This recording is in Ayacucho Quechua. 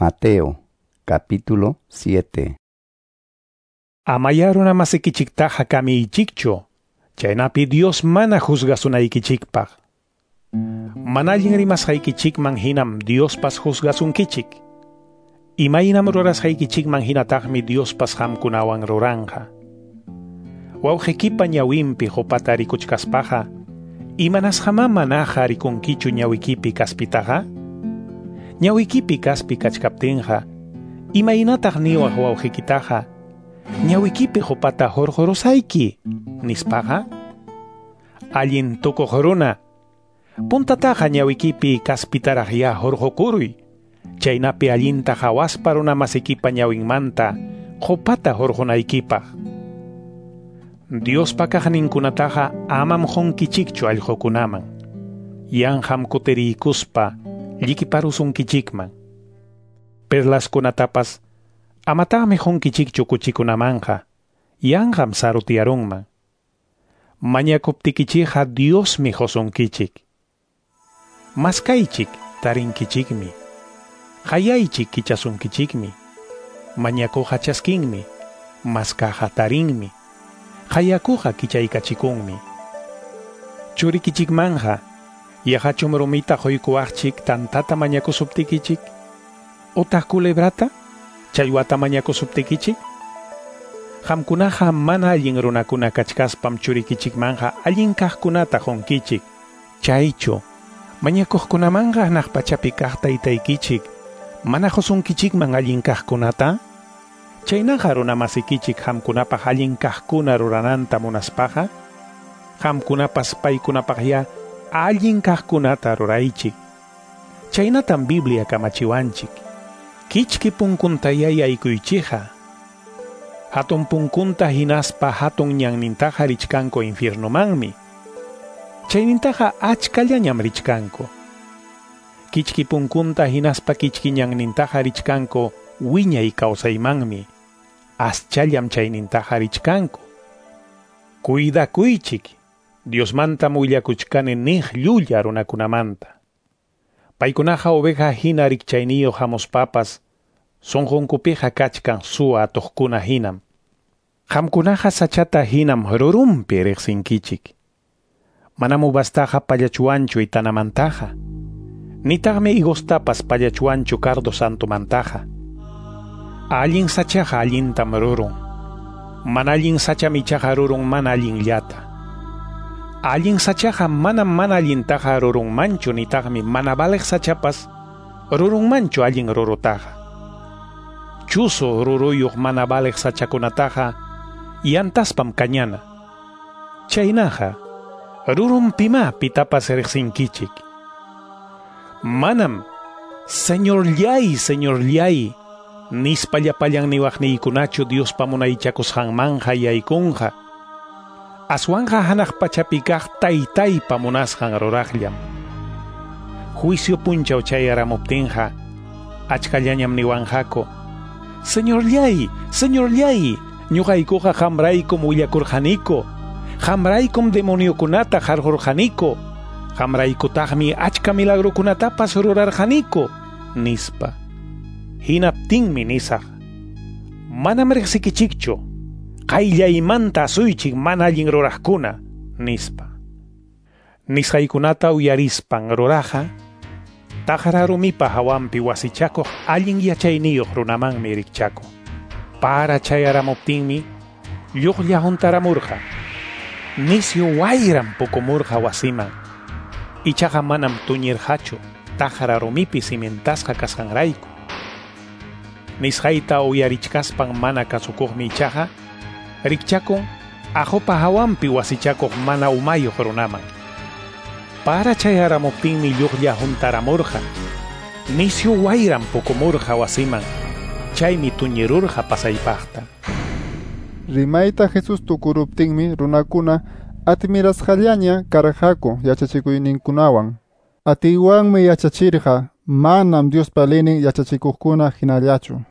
Mateo capítulo 7. Amaya runamasikichiktaqa kamiychikchu, chaynapi Dios mana juzgasunaykichikpaq. Mana allin rimasqaykichikman hinam Diospas juzgasunkichik. Imaynam rurasqaykichikman hinataqmi Diospas qamkunawan ruranqa. Wawqikipa ñawinpi qupata rikuchkaspaqa, imanasqamá manaqa rikunkichu ñawikipi kaspitaqa? Ñawikipi kaspi kachkaptinqa, imaynataq niwaq wawqikitaqa, ñawikipi qupata hurqurusayki, nispaqa? Allin tukuq runa, puntataqa ñawikipi kaspitaraq ya hurqukuruy, chaynapi allinta hawaspa runamasikipa ñawinmanta qupata hurqunaykipaq. Diospa kaqninkunataqa amam qunkichikchu allqukunaman, yanqam kutiriykuspa llikiparusunkichikman. Perlaskunatapas amataqmi qunkichikchu kuchikunamanqa, yanqam sarutiyarunman. Mañakuptikichikqa Diosmi qusunkichik. Maskaychik tarinkichikmi. Qayaychik kichasunkichikmi. Mañakuqa chaskinmi. Maskaqa tarinmi. Qayakuqa kichaykachikunmi. Churikichikmanja, yaqachum rumita quykuwaqchik tantata mañakusuptikichik? Utaq culebrata? Challwata mañakusuptikichik? Qamkunaqa mana allin runakuna kachkaspam churikichikmanja allin kaqkunata qunkichik. Chaychu, mañakuqkunamanqa hanaq pachapi kaq taytaykichik, mana qusunkichikman allin kaqkunata? Chaynaqa runamasikichik qamkunapaq allin kaqkuna rurananta munaspaqa, qamkunapas paykunapaqya allin kaqkunata ruraychik. Chaynatam Biblia kamachiwanchik. Kichki punkuntaya yaykuychikqa. Hatun punkunta hinaspa hatun ñannintaqa richkanku infiernomanmi. Chaynintaqa achkallañam richkanku. Kichki punkunta hinaspa kichki ñannintaqa richkanku wiñay kawsaymanmi. Aschallam chaynintaqa richkanku. Cuidakuychik, Diosmantam willakuchkani niq llulla runakunamanta. Paykunaqa oveja hina rikchayniyuq hamuspapas, sunqunkupiqa kachkan suwa atuqkuna hinam. Qamkunaqa sachata hinam rurunpi riqsinkichik. Manam uvastaqa pallachuwanchu itanamantaqa, nitaqmi higostapas pallachuwanchu cardo santomantaqa. Allin sachaqa allintam rurun. Mana allin sacham ichaqa rurun mana allinllata. Allin sachaqa manam mana allintaqa rurunmanchu nitaqmi mana valeq sachapas rurunmanchu allin rurutaqa. Chusu ruruyuq mana valeq sachakunataqa yantaspam kañana. Chaynaqa rurunpimá pitapas riqsinkichik. Manam, Señorllay, Señorllay, nispa llapallan niwaqniykunachu Diospa munaychakusqanmanja yaykunqa. Aswanqa hanaq pachapi kaq taytaypa munasqan ruraqllam. Juicio punchaw chayaramuptinqa, achkallañam niwanqaku, Señorllay, Señorllay, ñuqaykuqa qamraykum willakurqaniku, qamraykum demoniokunata qarqurqaniku, qamraykutaqmi achka milagrukunatapas rurarqaniku, nispa. Hinaptinmi nisaq, manam riqsikichikchu, qayllaymanta asuychik mana allin ruraqkuna, nispa. Nisqaykunata uyarispan ruraqa, taqra rumipa hawanpi wasichakuq allin yachayniyuq runamanmi rikchakun. Para chayaramuptinmi, lluqlla huntaramurqa. Nisyu wayram pukumurqa wasiman. Ichaqa manam tuñirqachu, taqra rumipi cimentasqa kasqanrayku. Nisqayta uyarichkaspan mana kasukuqmi ichaqa, rikchakun aqupa hawanpi wasichakuq mana umayuq runaman. Para chayaramuptinmi lluqlla huntaramurqa. Nisyu wayram pukumurqa wasiman. Chaymi tuñirurqa pasaypaqta. Rimayta Jesús tukuruptinmi runakuna admirasqallaña karqaku yachachikuyninkunawan. Atiywanmi yachachirqa, manam Diospa leynin yachachikuqkuna hinallachu.